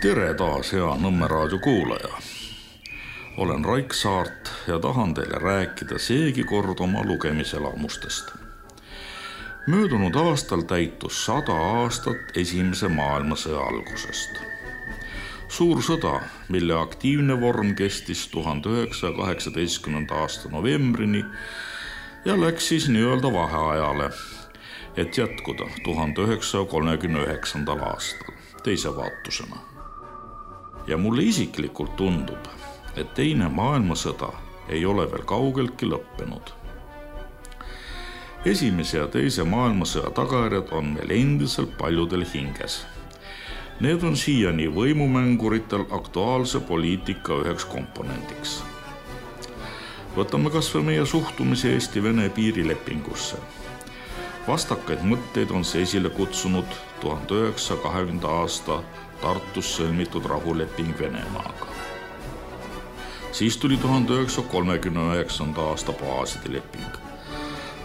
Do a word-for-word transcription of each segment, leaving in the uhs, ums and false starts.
Tere taas, hea Nõmme raadio kuulaja. Olen Raik Saart ja tahan teile rääkida seegi kord oma lugemiselamustest. Möödunud aastal täitus sada aastat esimese maailmasõja algusest. Suur sõda, mille aktiivne vorm kestis tuhande üheksasaja kaheksateistkümnenda aasta novembrini ja läks siis nii-öelda vaheajale, et jätkuda tuhande üheksasaja kolmekümne üheksandal aastal teise vaatusena. Ja mulle isiklikult tundub, et teine maailmasõda ei ole veel kaugeltki lõppenud. Esimese ja teise maailmasõja tagajärjed on meil endiselt paljudel hinges. Need on siiani võimumänguritel aktuaalse poliitika üheks komponendiks. Võtame kas või meie suhtumise Eesti-Vene piirilepingusse. Vastakaid mõtteid on see esile kutsunud tuhande üheksasaja kahekümnenda aasta Tartus sõlmitud rahuleping Venemaaga. Siis tuli tuhande üheksasaja kolmekümne üheksanda aasta baaside leping.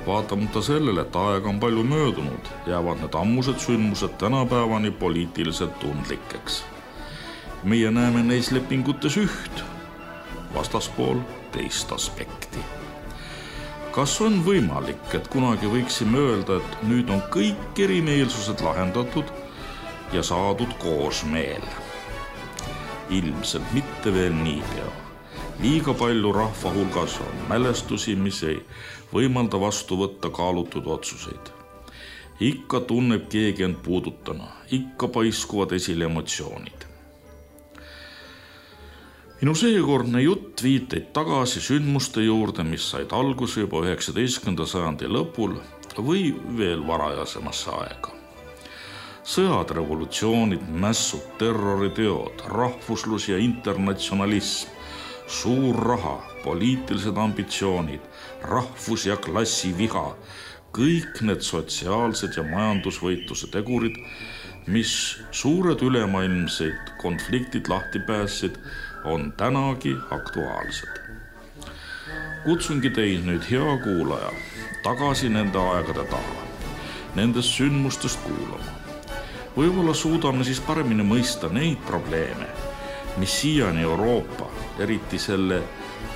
Vaatamata sellele, et aega on palju möödunud, jäävad need ammused sündmused tänapäevani poliitiliselt tundlikeks. Meie näeme neis lepingutes üht, vastaspool teist aspekti. Kas on võimalik, et kunagi võiksime öelda, et nüüd on kõik erimeelsused lahendatud ja saadud koosmeel? Ilmselt mitte veel niipea. Liiga palju rahva hulgas on mälestusi, mis ei võimalda vastu võtta kaalutud otsuseid. Ikka tunneb keegi end puudutana, ikka paiskuvad esile emotsioonid. Minu seekordne jutt viiteid tagasi sündmuste juurde, mis said alguse juba üheksateistkümnenda sajandi lõpul või veel varajasemasse aega. Sõjad, revolutsioonid, mässud, terroriteod, rahvuslus ja internatsionalism, suur raha, poliitilised ambitsioonid, rahvus- ja klassiviha, kõik need sotsiaalsed ja majandusvõitluse tegurid, mis suured ülemaailmseid konfliktid lahti päässid, on tänagi aktuaalsed. Kutsungi teid nüüd, hea kuulaja, tagasi nende aegade taha, nendest sündmustest kuulama. Võib-olla suudame siis paremini mõista neid probleeme, mis siiani Euroopa, eriti selle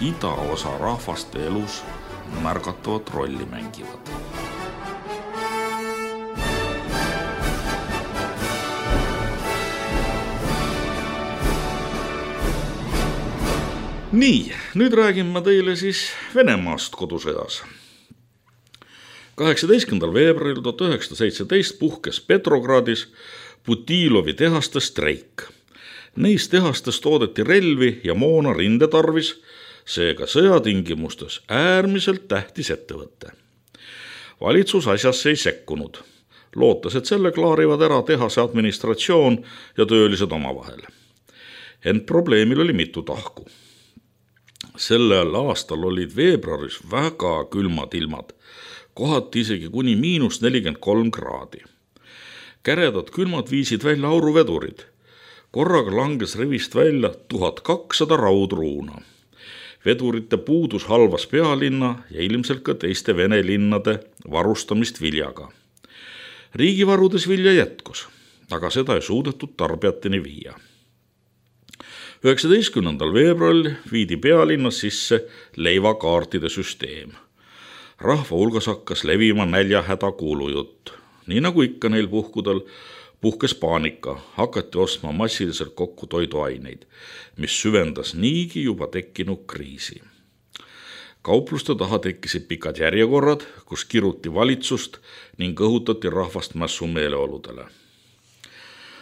idaosa rahvaste elus märgatavat rolli mängivad. Nii, nüüd räägin ma teile siis Venemaast kodusõjas. kaheksateistkümnendal veebruaril tuhat üheksasada seitseteist puhkes Petrogradis Putilovi tehaste streik. Neis tehastes toodeti relvi ja moona rindetarvis, seega sõjatingimustes äärmiselt tähtis ettevõte. Valitsus asjasse ei sekkunud, lootes, et selle klaarivad ära tehase administratsioon ja töölised omavahel. Ent probleemil oli mitu tahku. Sellel aastal olid veebruaris väga külmad ilmad, kohati isegi kuni miinus nelikümmend kolm kraadi. Käredad külmad viisid välja auruvedurid. Korraga langes rivist välja tuhat kakssada raudruuna. Vedurite puudus halvas pealinna ja ilmselt ka teiste Vene linnade varustamist viljaga. Riigivarudes vilja jätkus, aga seda ei suudetud tarbijateni viia. üheksateistkümnendal veebruaril viidi pealinnas sisse leivakaartide süsteem. Rahva hulgas hakkas levima näljahäda kuulujutt. Nii nagu ikka neil puhkudel puhkes paanika, hakati ostma massiliselt kokku toiduaineid, mis süvendas niigi juba tekkinud kriisi. Kaupluste taha tekkisid pikad järjekorrad, kus kiruti valitsust ning õhutati rahvast mässumeeleoludele.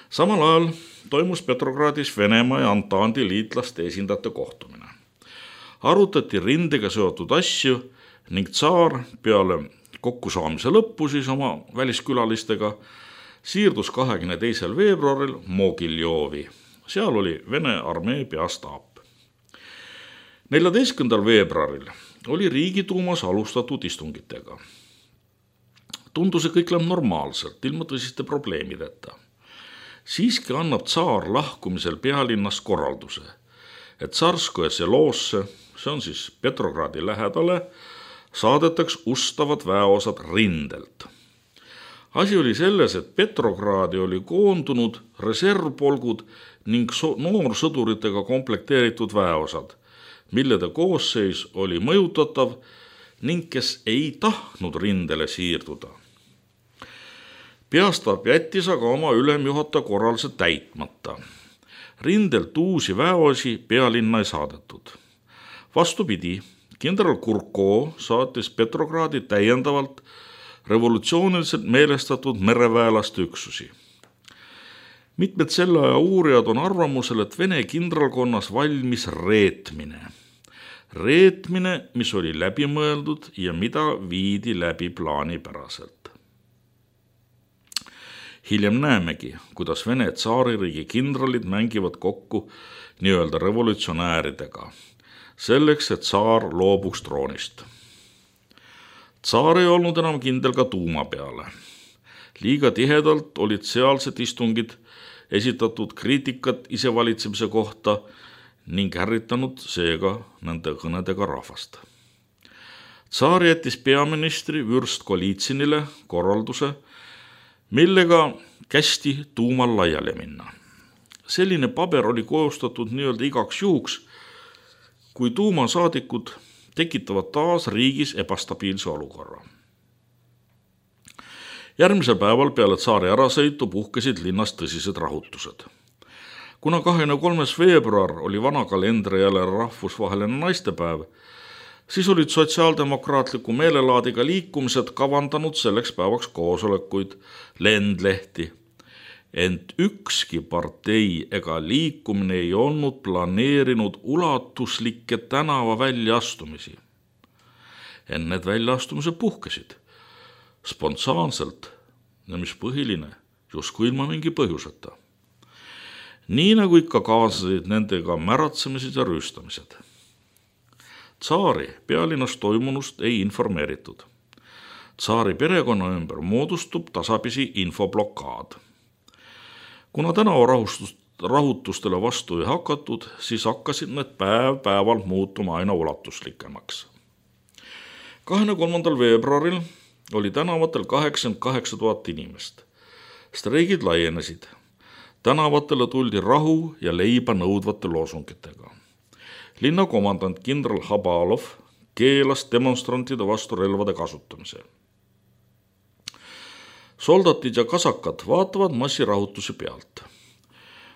Samal ajal toimus Petrogradis Venemaa ja Antandi liitlaste esindajate kohtumine. Arutati rindega seotud asju ning tsaar peale kokkusaamise lõppu siis oma väliskülalistega siirdus kahekümne teisel veebruaril Mogiljovi. Seal oli Vene armee peastaap. neljateistkümnendal veebruaril oli Riigiduumas alustatud istungitega. Tundus, et kõik läheb normaalselt, ilma tõsiste probleemideta. Siiski annab tsaar lahkumisel pealinnas korralduse, et Tsarskoje seloosse, see on siis Petrogradi lähedale, saadetaks ustavad väeosad rindelt. Asi oli selles, et Petrogradi oli koondunud reservpolgud ning so- noorsõduritega komplekteeritud väeosad, millede koosseis oli mõjutatav ning kes ei tahtnud rindele siirduda. Peastaap jättis aga oma ülemjuhataja korralduse täitmata. Rindelt uusi väeosi pealinna ei saadetud. Vastupidi, kindral Kurko saatis Petrogradi täiendavalt revolutsiooniliselt meelestatud mereväelaste üksusi. Mitmed selle aja uurijad on arvamusel, et Vene kindralkonnas valmis reetmine. Reetmine, mis oli läbimõeldud ja mida viidi läbi plaanipäraselt. Hiljem näemegi, kuidas Vene tsaaririigi kindralid mängivad kokku nii-öelda revolutsionääridega, selleks, et tsaar loobuks troonist. Tsaar ei olnud enam kindel ka tuuma peale. Liiga tihedalt olid sealsed istungid esitatud kriitikat isevalitsemise kohta ning ärritanud seega nende kõnedega rahvast. Tsaar jättis peaministri Vürst Golitsinile korralduse, millega kästi tuumal laiali minna. Selline paber oli koostatud nii-öelda igaks juhuks, kui tuumasaadikud tekitavad taas riigis ebastabiilse olukorra. Järgmisel päeval peale tsaari ärasõitu puhkesid linnas tõsised rahutused. Kuna kahekümne kolmas veebruar oli vana kalendri jälle rahvusvaheline naistepäev, siis olid sotsiaaldemokraatliku meelelaadiga liikumised kavandanud selleks päevaks koosolekuid, lendlehti. Ent ükski partei ega liikumine ei olnud planeerinud ulatuslikke tänava väljaastumisi. Ent need väljaastumised puhkesid spontaanselt ja mis põhiline, justkui ilma mingi põhjuseta. Nii nagu ikka kaasasid nendega märatsemised ja rüüstamised. Tsaari pealinnas toimunust ei informeeritud. Tsaari perekonna ümber moodustub tasapisi infoblokaad. Kuna tänavarahutustele vastu ei hakatud, siis hakkasid need päev päevalt muutuma aina ulatuslikemaks. kahekümne kolmandal veebruaril oli tänavatel kaheksakümmend kaheksa tuhat inimest. Streigid laienesid. Tänavatele tuldi rahu ja leiba nõudvate loosungitega. Linna komandant kindral Habalov keelas demonstrantide vastu relvade kasutamise. Soldatid ja kasakad vaatavad massirahutusi pealt.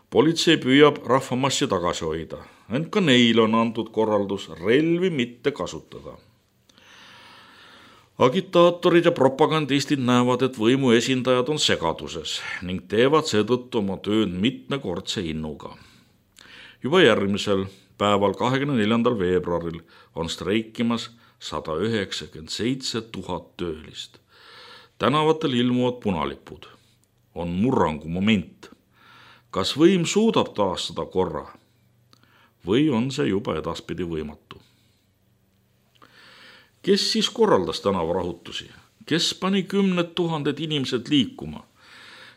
Politsei püüab rahvamassi tagasi hoida, ent ka neile on antud korraldus relvi mitte kasutada. Agitaatorid ja propagandistid näevad, et võimu esindajad on segaduses ning teevad seetõttu oma tööd mitmekordse innuga. Juba järgmisel päeval kahekümne neljandal veebruaril on streikimas sada üheksakümmend seitse tuhat töölist. Tänavatel ilmuvad punalipud. On murrangu moment. Kas võim suudab taastada korra või on see juba edaspidi võimatu? Kes siis korraldas tänavarahutusi? Kes pani kümned tuhanded inimesed liikuma?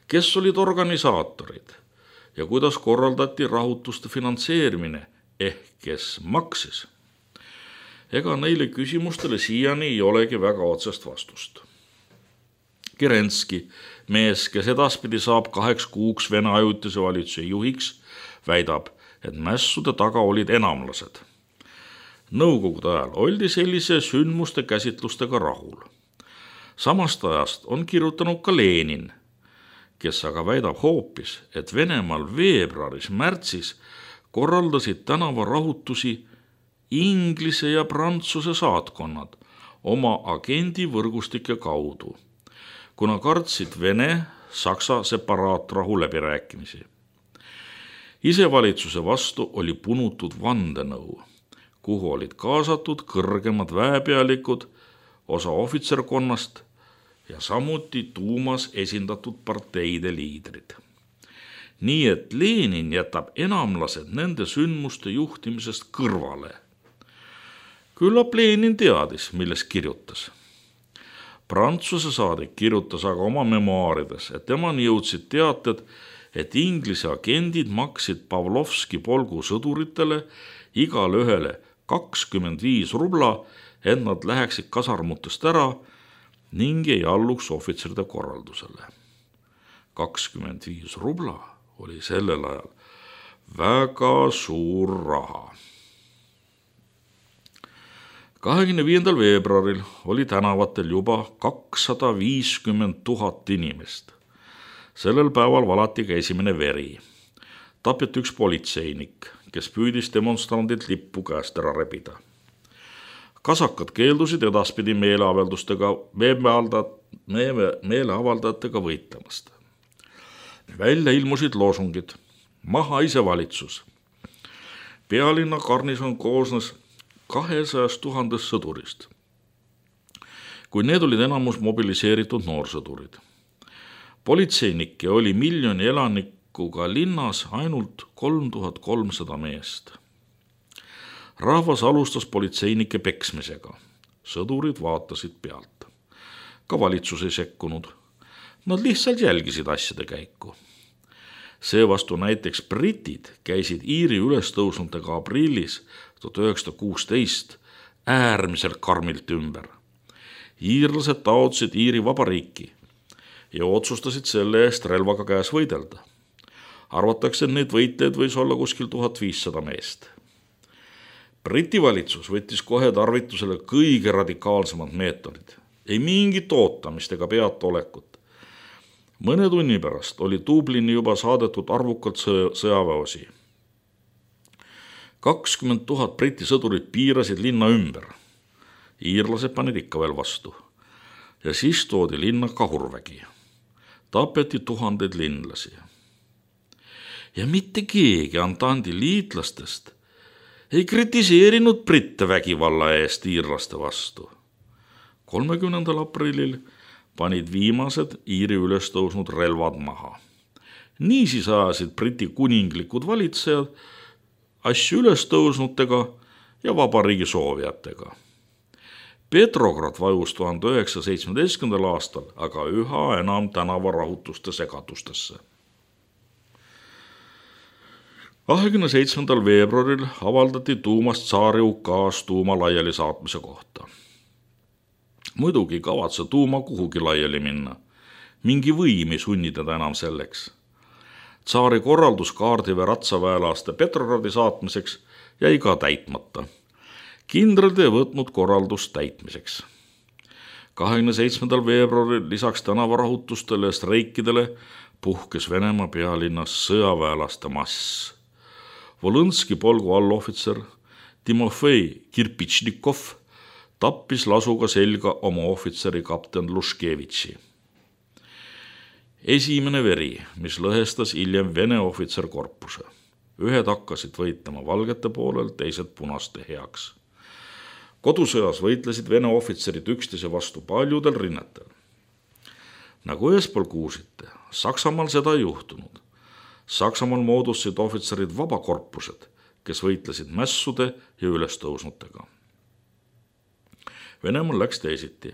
Kes olid organisaatorid? Ja kuidas korraldati rahutuste finantseerimine ehk kes maksis? Ega neile küsimustele siiani ei olegi väga otsest vastust. Kerenski, mees, kes edaspidi saab kaheks kuuks Vene ajutise valitsuse juhiks, väidab, et mässude taga olid enamlased. Nõukogude ajal oldi sellise sündmuste käsitlustega rahul. Samast ajast on kirjutanud ka Lenin, kes aga väidab hoopis, et Venemaal veebruaris-märtsis korraldasid tänavarahutusi Inglise ja Prantsuse saatkonnad oma agendivõrgustike kaudu, kuna kartsid Vene-Saksa separaatrahu läbirääkimisi. Isevalitsuse vastu oli punutud vandenõu, kuhu olid kaasatud kõrgemad väepealikud, osa ohvitserkonnast ja samuti tuumas esindatud parteide liidrid. Nii et Lenin jätab enamlased nende sündmuste juhtimisest kõrvale. Küllap Lenin teadis, milles kirjutas. Prantsuse saadik kirjutas aga oma memoaarides, et temani jõudsid teated, et Inglise agendid maksid Pavlovski polgu sõduritele igale ühele kakskümmend viis rubla, et nad läheksid kasarmutest ära ning ei alluks ohvitseride korraldusele. kakskümmend viis rubla oli sellel ajal väga suur raha. kahekümne viiendal veebruaril oli tänavatel juba kakssada viiskümmend tuhat inimest. Sellel päeval valati ka esimene veri. Tapeti üks politseinik, kes püüdis demonstrandilt lippu käest ära rebida. Kasakad keeldusid edaspidi meeleavaldustega, meeleavaldajatega võitlemast. Välja ilmusid loosungid: maha isevalitsus. Pealinna garnison koosnes kahesajast tuhandest sõdurist, kui need olid enamus mobiliseeritud noorsõdurid. Politseinikke oli miljoni elanikuga linnas ainult kolm tuhat kolmsada meest. Rahvas alustas politseinike peksmisega. Sõdurid vaatasid pealt. Ka valitsus ei sekkunud. Nad lihtsalt jälgisid asjade käiku. Seevastu näiteks britid käisid Iiri ülestõusnutega aprillis tuhat üheksasada kuusteist äärmiselt karmilt ümber. Iirlased taotlesid Iiri vabariiki ja otsustasid selle eest relvaga käes võidelda. Arvatakse, et neid võitleid võis olla kuskil tuhat viissada meest. Briti valitsus võttis kohe tarvitusele kõige radikaalsemad meetodid. Ei mingit ootamist ega peatolekut. Mõne tunni pärast oli Dublini juba saadetud arvukalt sõjaväeosi. kakskümmend tuhat briti sõdurid piirasid linna ümber. Iirlased panid ikka veel vastu. Ja siis toodi linna kahurvägi. Tapeti tuhandeid linlasi. Ja mitte keegi Antandi liitlastest ei kritiseerinud britte vägivalla eest iirlaste vastu. kolmekümnendal aprillil panid viimased Iiri ülestõusnud relvad maha. Niisiis ajasid briti kuninglikud valitsejad asju ülestõusnutega ja vabariigi soovijatega. Petrograd vajus tuhande üheksasaja seitsmeteistkümnendal aastal aga üha enam tänavarahutuste segadustesse. kahekümne seitsmendal veebruaril avaldati tuumast tsaari ukaas tuuma laiali saatmise kohta. Muidugi ei kavatse tuuma kuhugi laiali minna. Mingi võim ei sunni teda enam selleks. Tsaari korraldus kaardiväe ratsaväelaste Petrogradi saatmiseks jäi ka täitmata. Kindralid ei võtnud korraldust täitmiseks. kahekümne seitsmendal veebruaril lisaks tänavarahutustele ja streikidele puhkes Venemaa pealinnas sõjaväelaste mass. Volõnski polgu allohvitser Timofei Kirpitšnikov tappis lasuga selga oma ohvitseri kapten Luškevitši. Esimene veri, mis lõhestas hiljem Vene ohvitserkorpuse. Ühed hakkasid võitlema valgete poolel, teised punaste heaks. Kodusõjas võitlesid Vene ohvitserid üksteise vastu paljudel rinnetel. Nagu eespool kuulsite, Saksamaal seda ei juhtunud. Saksamaal moodustasid ohvitserid vabakorpused, kes võitlesid mässude ja ülestõusnutega. Venemaal läks teisiti.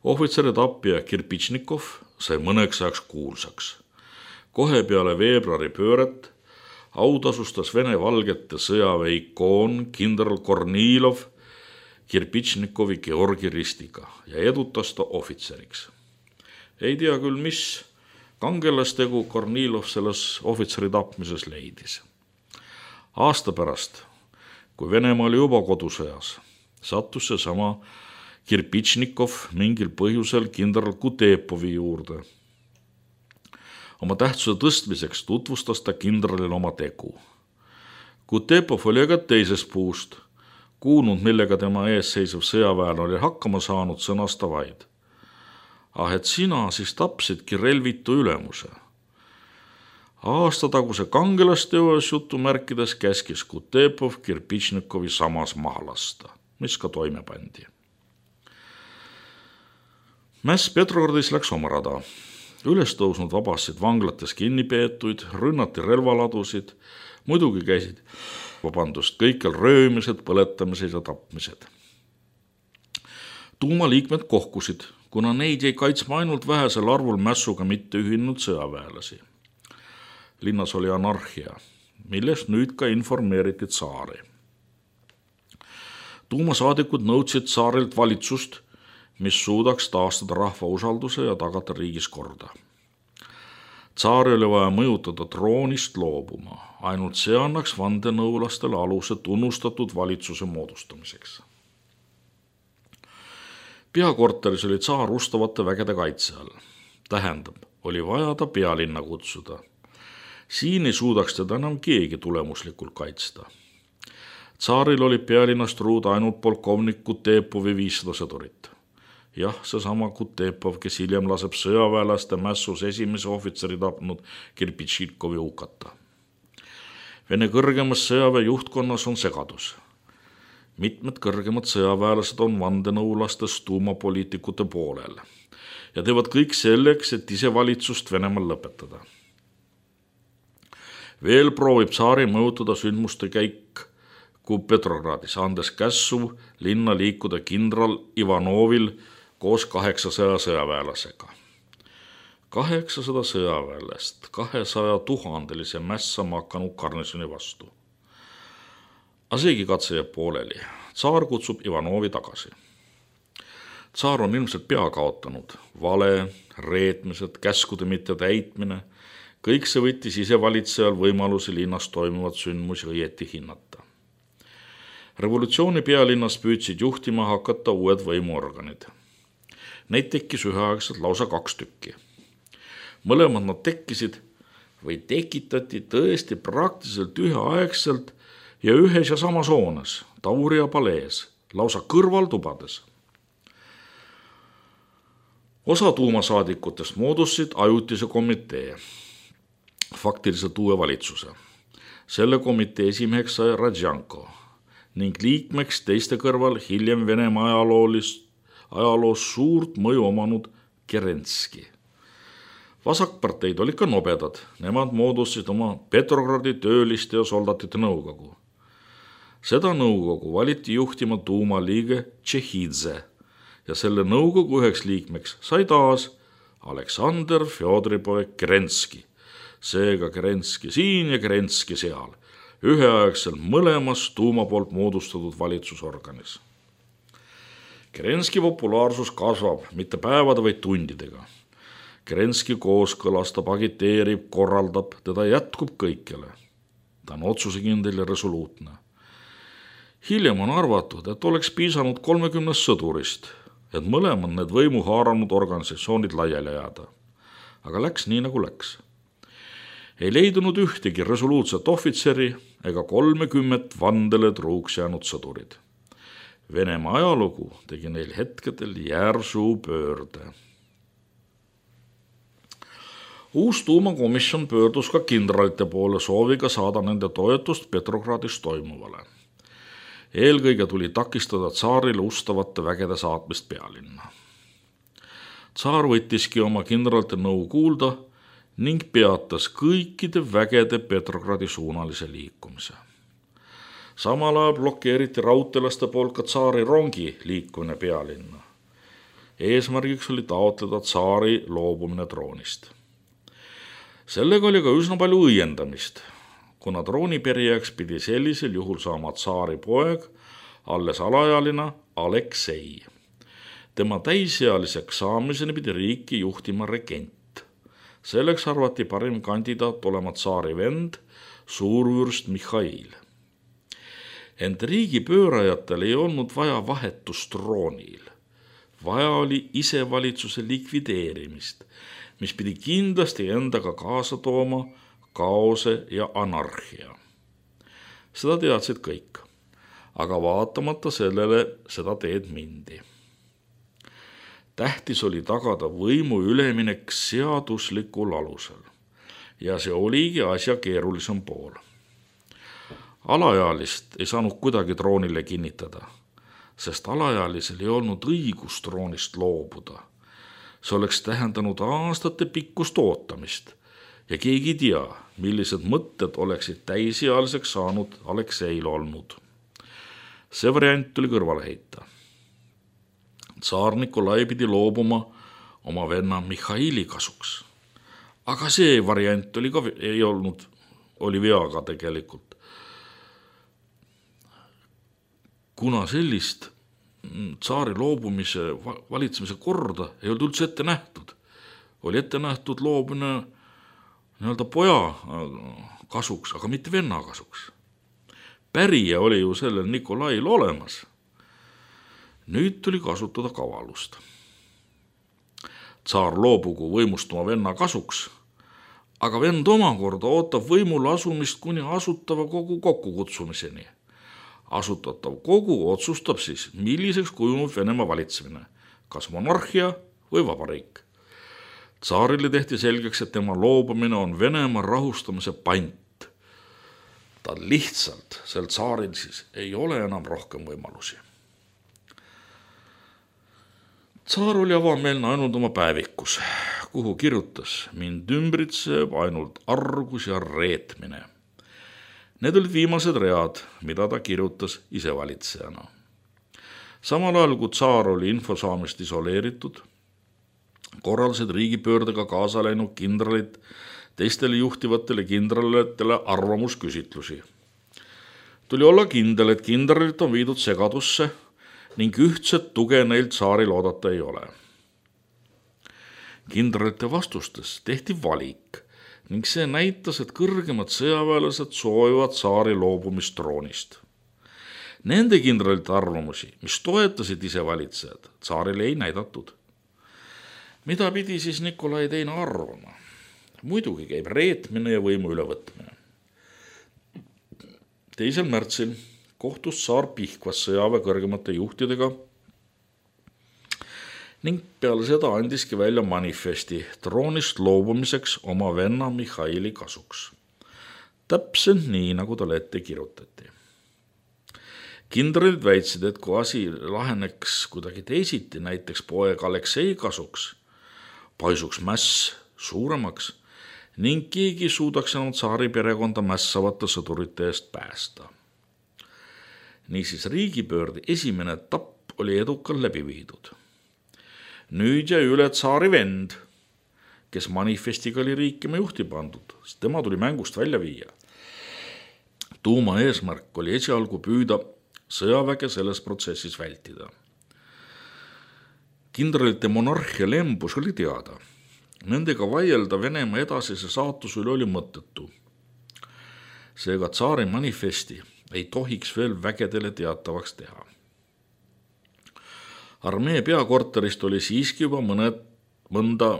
Ohvitseri tappija Kirpitšnikov sai mõneks ajaks kuulsaks. Kohe peale veebruari pööret autasustas Vene valgete sõjaväe ikoon kindral Kornilov Kirpitšnikovi Georgi ristiga ja edutas ta ohvitseriks. Ei tea küll, mis kangelastegu Kornilov selles ohvitseri tapmises leidis. Aasta pärast, kui Venemaa oli juba kodusõjas, sattus see sama Kirpitšnikov mingil põhjusel kindral Kutepovi juurde. Oma tähtsuse tõstmiseks tutvustas ta kindralil oma tegu. Kutepov oli aga teisest puust, kuulnud, millega tema ees seisev sõjaväel oli hakkama saanud, sõnasta vaid. Ah, et sina siis tapsidki relvitu ülemuse. Aastataguse kangelasteos jutumärkides käskis Kutepov Kirpitšnikovi samas maha lasta, mis ka toime pandi. Mäss Petrogradis läks oma rada. Ülestõusnud vabasid vanglates kinnipeetuid, rünnati relvaladusid, muidugi käisid vabandust kõikjal röömised, põletamised ja tapmised. Tuumaliikmed kohkusid, kuna neid jäi kaitsma ainult vähesel arvul mässuga mitte ühinud sõjaväelasi. Linnas oli anarhia, millest nüüd ka informeeriti tsaari. Tuumasaadikud nõudsid tsaarilt valitsust, mis suudaks taastada rahva usalduse ja tagada riigis korda. Tsaari oli vaja mõjutada troonist loobuma, ainult see annaks vandenõulastele aluse tunnustatud valitsuse moodustamiseks. Peakorteris oli tsaar ustavate vägede kaitse all. Tähendab, oli vaja ta pealinna kutsuda. Siin ei suudaks teda enam keegi tulemuslikult kaitsta. Tsaaril oli pealinnast ruuda ainult polkovnik Kutepovi viissada sõdurit. Jah, seesama Kutepov, kes hiljem laseb sõjaväelaste mässus esimese ohvitseri tapnud Kirpitšikovi hukata. Vene kõrgemas sõjaväe juhtkonnas on segadus. Mitmed kõrgemad sõjaväelased on vandenõulastest tuumapoliitikute poolel ja teevad kõik selleks, et ise valitsust Venemaal lõpetada. Veel proovib tsaari mõjutada sündmuste käik kui Petrogradis, andes kässu linna liikuda kindral Ivanovil koos kaheksasaja sõjaväelasega. kaheksasada sõjaväelast kahesaja tuhandelise mässama hakanud garnisoni vastu. Aga seegi katse jääb pooleli. Tsaar kutsub Ivanovi tagasi. Tsaar on ilmselt pea kaotanud. Vale, reetmised, käskude mitte täitmine, kõik see võttis isevalitsejal võimalusi linnas toimuvat sündmusi õieti hinnata. Revolutsiooni pealinnas püüdsid juhtima hakata uued võimuorganid. Neid tekkis üheaegselt lausa kaks tükki. Mõlemad nad tekkisid või tekitati tõesti praktiliselt üheaegselt ja ühes ja samas hoones, Tauria palees, lausa kõrvaltubades. Osa tuumasaadikutest moodustasid ajutise komitee, faktiliselt uue valitsuse. Selle komitee esimeheks sai Radjanko ning liikmeks teiste kõrval hiljem Venemaa ajaloolist, ajaloos suurt mõju omanud Kerenski. Vasakparteid olid ka nobedad, nemad moodustasid oma Petrogradi tööliste ja soldatite nõukogu. Seda nõukogu valiti juhtima tuumaliige Tšehhidze ja selle nõukogu üheks liikmeks sai taas Aleksandr Fjodoripov Kerenski, seega Kerenski siin ja Kerenski seal, üheaegselt mõlemas tuuma poolt moodustatud valitsusorganis. Kerenski populaarsus kasvab mitte päevade, vaid tundidega. Kerenski kooskõlastab, agiteerib, korraldab, teda jätkub kõikjale. Ta on otsusekindel ja resoluutne. Hiljem on arvatud, et oleks piisanud kolmekümnest sõdurist, et mõlemad need võimu haaranud organisatsioonid laiali jääda. Aga läks nii nagu läks. Ei leidunud ühtegi resoluutset ohvitseri ega kolmekümmet vandele truuks jäänud sõdurid. Venemaa ajalugu tegi neil hetkedel järsu pöörde. Uus tuumakomisjon pöördus ka kindralite poole sooviga saada nende toetust Petrogradis toimuvale. Eelkõige tuli takistada tsaarile ustavate vägede saatmist pealinna. Tsaar võttiski oma kindralite nõu kuulda ning peatas kõikide vägede Petrogradi suunalise liikumise. Samal ajal blokeeriti raudteelaste poolt ka tsaari rongi liikumine pealinna. Eesmärgiks oli taotleda tsaari loobumine troonist. Sellega oli ka üsna palju õiendamist, kuna trooniperijaks pidi sellisel juhul saama tsaari poeg, alles alaealina Aleksei. Tema täisealiseks saamiseni pidi riiki juhtima regent. Selleks arvati parim kandidaat olema tsaari vend, suurvürst Mihhail. Ent riigi pöörajatel ei olnud vaja vahetust troonil. Vaja oli isevalitsuse likvideerimist, mis pidi kindlasti endaga kaasa tooma kaose ja anarhia. Seda teadsid kõik, aga vaatamata sellele seda teed mindi. Tähtis oli tagada võimu üleminek seaduslikul alusel ja see oligi asja keerulisem pool. Alaealist ei saanud kuidagi troonile kinnitada, sest alaealisel ei olnud õigus troonist loobuda. See oleks tähendanud aastate pikkust ootamist ja keegi ei tea, millised mõtted oleksid täisealiseks saanud Alekseil olnud. See variant tuli kõrvale heita. Tsaar Nikolai pidi loobuma oma venna Mihhaili kasuks. Aga see variant oli ka, ei olnud, oli veaga tegelikult. Kuna sellist tsaari loobumise valitsemise korda ei olnud üldse ette nähtud, oli ette nähtud loobumine nii-öelda poja kasuks, aga mitte venna kasuks. Pärija oli ju sellel Nikolail olemas. Nüüd tuli kasutada kavalust. Tsaar loobugu võimust oma venna kasuks, aga vend omakorda ootab võimule asumist kuni asutava kogu kokkukutsumiseni. Asutatav kogu otsustab siis, milliseks kujunub Venemaa valitsemine, kas monarhia või vabariik. Tsaarile tehti selgeks, et tema loobumine on Venemaa rahustamise pant. Ta lihtsalt, sel tsaaril siis, ei ole enam rohkem võimalusi. Tsaar oli avameelne ainult oma päevikus, kuhu kirjutas: mind ümbritseb ainult argus ja reetmine. Need olid viimased read, mida ta kirjutas isevalitsejana. Samal ajal, kui tsaar oli info saamist isoleeritud, korraldasid riigipöördega kaasa läinud kindralid teistele juhtivatele kindralitele arvamusküsitlusi. Tuli olla kindel, et kindralit on viidud segadusse ning ühtset tuge neil tsaaril oodata ei ole. Kindralite vastustes tehti valik ning see näitas, et kõrgemad sõjaväelased soovivad tsaari loobumist troonist. Nende kindralite arvamusi, mis toetasid isevalitsejad, tsaarile ei näidatud. Mida pidi siis Nikolai teine arvama? Muidugi käib reetmine ja võimu ülevõtmine. teisel märtsil kohtus tsaar Pihkvas sõjaväe kõrgemate juhtidega ning peale seda andiski välja manifesti troonist loobumiseks oma venna Mihhaili kasuks. Täpselt nii, nagu talle ette kirjutati. Kindralid väitsid, et kui asi laheneks kuidagi teisiti, näiteks poeg Aleksei kasuks, paisuks mäss suuremaks ning keegi suudaks enam tsaari perekonda mässavate sõdurite eest päästa. Niisiis riigipöörde esimene etapp oli edukalt läbi viidud. Nüüd jäi üle tsaari vend, kes manifestiga oli riikima juhti pandud, sest tema tuli mängust välja viia. Tuuma eesmärk oli esialgu püüda sõjaväge selles protsessis vältida. Kindralite monarhia lembus oli teada. Nendega vaielda Venemaa edasise saatuse üle oli mõttetu. Seega tsaari manifesti ei tohiks veel vägedele teatavaks teha. Armee peakorterist oli siiski juba mõned, mõnda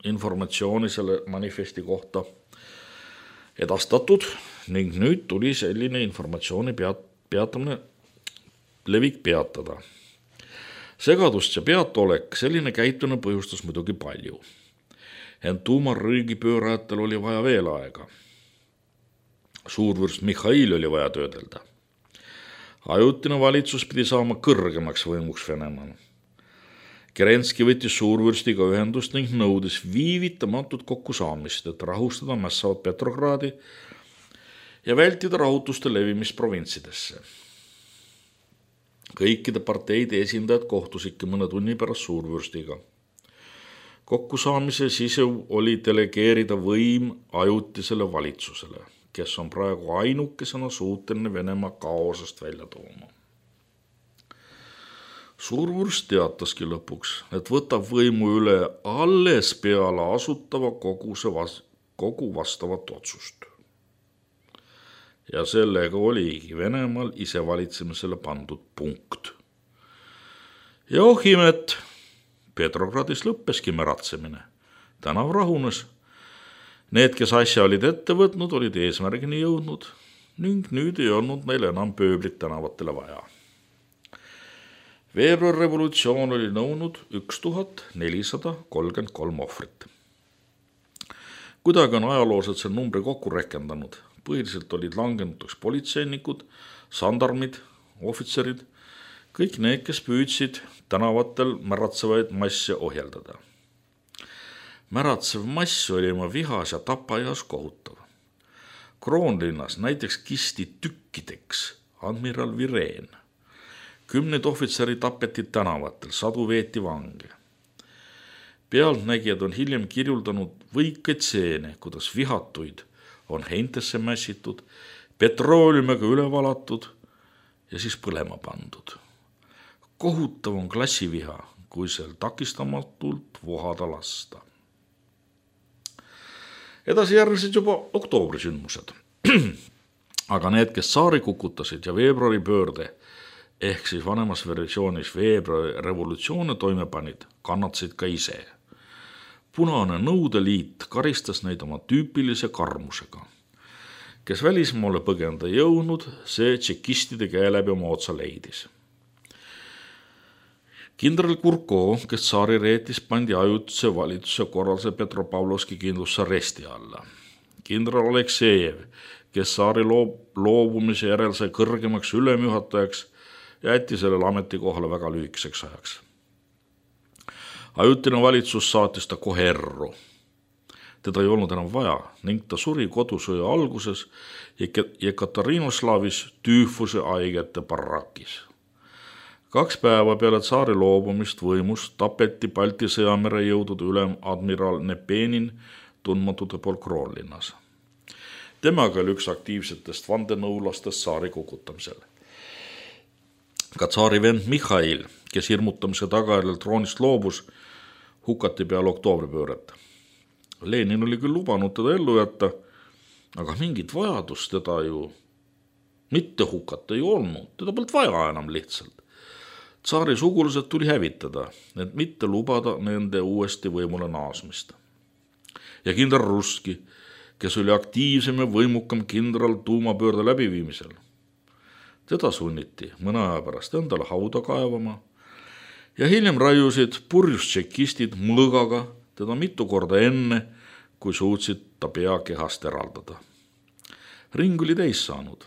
informatsiooni selle manifesti kohta edastatud ning nüüd tuli selline informatsiooni peat, peatamine, levik peatada. Segadust ja peatolek selline käitumine põhjustas muidugi palju. Ent tuumarriigi pöörajatel oli vaja veel aega. Suurvürst Mihhail oli vaja töödelda. Ajutine valitsus pidi saama kõrgemaks võimuks Venemaal. Kerenski võttis suurvürstiga ühendust ning nõudis viivitamatut kokkusaamist, et rahustada mässavat Petrogradi ja vältida rahutuste levimist provintsidesse. Kõikide parteide esindajad kohtusidki mõne tunni pärast suurvürstiga. Kokkusaamise sisu oli delegeerida võim ajutisele valitsusele, kes on praegu ainukesena suuteline Venemaa kaosest välja tooma. Suurvürst teataski lõpuks, et võtab võimu üle alles peale asutava koguse vas- kogu vastavat otsust. Ja sellega oligi Venemaal isevalitsemisele pandud punkt. Ja oh imet, Petrogradis lõppeski märatsemine. Tänav rahunes. Need, kes asja olid ette võtnud, olid eesmärgini jõudnud ning nüüd ei olnud meil enam pööblit tänavatele vaja. Veebruarrevolutsioon oli nõunud üks tuhat nelisada kolmkümmend kolm ohvrit. Kuidagi on ajaloosed see numbri kokku rekendanud. Põhiliselt olid langenuteks politseinikud, sandarmid, ohvitserid, kõik need, kes püüdsid tänavatel märatsevaid masse ohjeldada. Märatsev mass oli oma vihas ja tapajas kohutav. Kroonlinnas näiteks kisti tükkideks admiral Vireen. Kümned ohvitseri tapeti tänavatel, sadu veeti vange. Pealtnägijad on hiljem kirjuldanud võikaid seene, kuidas vihatuid on heintesse mässitud, petrooliumiga üle valatud ja siis põlema pandud. Kohutav on klassiviha, kui sel takistamatult vohada lasta. Edasi järgnesid juba oktooberisündmused. Aga need, kes saari kukutasid ja veebruari pöörde, ehk siis vanemas versioonis veebruari revolutsioone toime panid, kannatasid ka ise. Punane Nõudeliit karistas neid oma tüüpilise karmusega. Kes välismaale põgenda jõudnud, see tšekistide käe läbi oma otsa leidis. Kindral Kurko, kes saari reetis, pandi ajutise valitsuse korralduse Petropavlovski kindlusaresti alla. Kindral Aleksejev, kes saari loobumise järel sai kõrgemaks ülemjuhatajaks, jäeti sellele ametikohale väga lühikeseks ajaks. Ajutine valitsus saatis ta kohe erru. Teda ei olnud enam vaja ning ta suri kodusõja alguses Jekaterinoslavis tüüfuse haigete barakis. Kaks päeva peale tsaari loobumist võimust tapeti Balti sõjamere jõudude ülem admiral Nepenin tundmatute pool Kroonlinnas. Temaga oli üks aktiivsetest vandenõulastest saari kukutamisel. Ka tsaari vend Mihhail, kes hirmutamise tagajärjel troonist loobus, hukati peale oktoobripööret. Lenin oli küll lubanud teda ellu jätta, aga mingit vajadust teda ju mitte hukata ei olnud, teda polnud vaja enam lihtsalt. Tsaari sugulased tuli hävitada, et mitte lubada nende uuesti võimule naasmist. Ja kindral Russki, kes oli aktiivsem ja võimukam kindral tuumapöörde läbiviimisel. Teda sunniti mõne aja pärast endale hauda kaevama ja hiljem raiusid purjus tšekistid mõõgaga teda mitu korda enne, kui suutsid ta pea kehast eraldada. Ring oli täis saanud.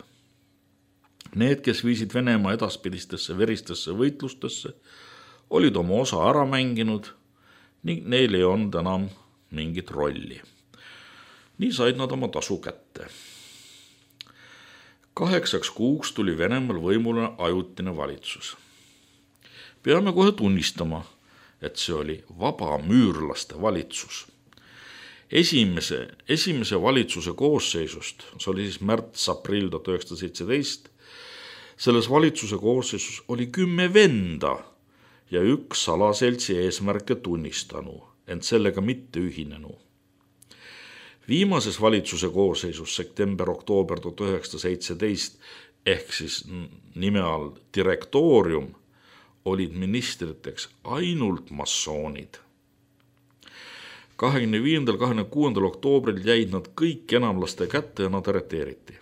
Need, kes viisid Venemaa edaspidistesse veristesse võitlustesse, olid oma osa ära mänginud ning neil ei olnud enam mingit rolli. Nii said nad oma tasu kätte. Kaheksaks kuuks tuli Venemaal võimule ajutine valitsus. Peame kohe tunnistama, et see oli vabamüürlaste valitsus. Esimese, esimese valitsuse koosseisust, see oli siis märts-aprill tuhat üheksasada seitseteist, selles valitsuse koosseisus oli kümme venda ja üks salaseltsi eesmärke tunnistanu, ent sellega mitte ühinenu. Viimases valitsuse koosseisus september-oktoober tuhat üheksasada seitseteist ehk siis nime all direktoorium olid ministriteks ainult massoonid. kahekümne viiendal kahekümne kuuendal oktoobril jäid nad kõik enamlaste kätte ja nad arreteeriti.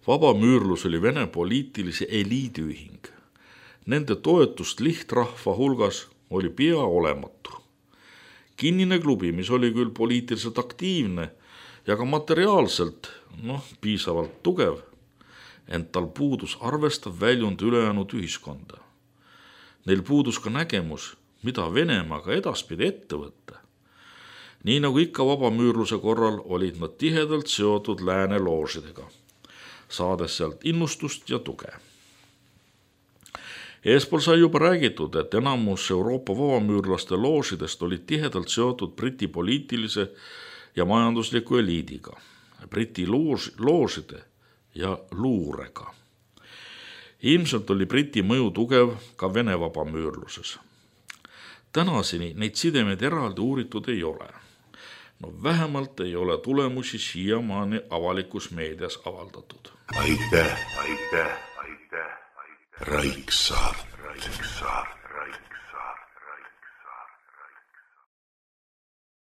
Vabamüürlus oli Vene poliitilise eliidiühing. Nende toetust lihtrahva hulgas oli pea olematu. Kinnine klubi, mis oli küll poliitiliselt aktiivne ja ka materiaalselt noh, piisavalt tugev, ent tal puudus arvestav väljund ülejäänud ühiskonda. Neil puudus ka nägemus, mida Venemaaga edaspidi ette võtta. Nii nagu ikka vabamüürluse korral olid nad tihedalt seotud lääne loožidega, saades sealt innustust ja tuge. Eespool sai juba räägitud, et enamus Euroopa vabamüürlaste loožidest olid tihedalt seotud Briti poliitilise ja majandusliku eliidiga, Briti loos, loožide ja luurega. Ilmselt oli Briti mõju tugev ka Vene vabamüürluses. Tänaseni neid sidemeid eraldi uuritud ei ole. No vähemalt ei ole tulemusi siiamaani avalikus meedias avaldatud. Aitäh, aitäh, aitäh, aitäh. Raiksaart. Raiksaart.